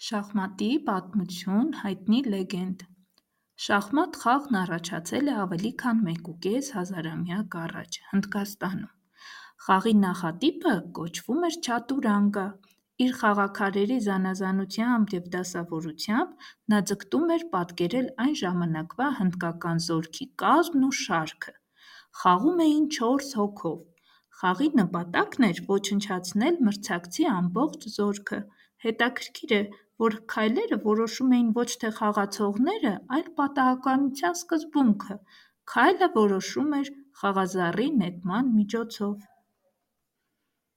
Շախմատի պատմություն, հայտնի լեգենդ։ Շախմատ խաղն առաջացել է ավելի քան 1,5 հազարամյակ առաջ Հնդկաստանում։ Խաղի նախատիպը կոչվում էր չատուրանգա։ Իր խաղաքարերի զանազանությամբ և դասավորությամբ նա ձգտում էր պատկերել այն ժամանակվա հնդկական զորքի կազմն ու շարքը։ Խաղում էին 4 հոգով։ Խաղի նպատակն էր ոչնչացնել մրցակցի ամբողջ զորքը։ Հետաքրքիր է, որ քայլերը որոշում էին ոչ թե խաղացողները, այլ պատահականության սկզբունքը։ Քայլը որոշվում էր խաղազարի նետման միջոցով։